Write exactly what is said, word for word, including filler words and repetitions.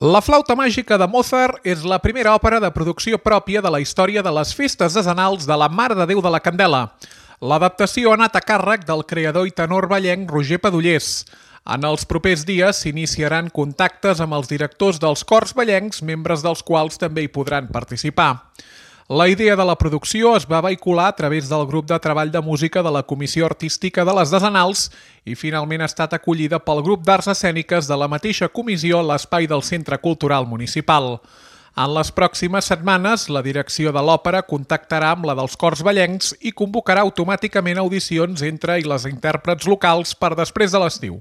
La flauta màgica de Mozart és la primera òpera de producció pròpia de la història de les festes decenals de la Mare de Déu de la Candela. L'adaptació ha anat a càrrec del creador i tenor vallenc Roger Padollers. En els propers dies s'iniciaran contactes amb els directors dels cors vallencs, membres dels quals també hi podran participar. La idea de la producció es va vehicular a través del grup de treball de música de la Comissió Artística de les Decenals i finalment ha estat acollida pel grup d'arts escèniques de la mateixa comissió a l'espai del Centre Cultural Municipal. En les pròximes setmanes, la direcció de l'òpera contactarà amb la dels cors vallencs i convocarà automàticament audicions entre i les intèrprets locals per després de l'estiu.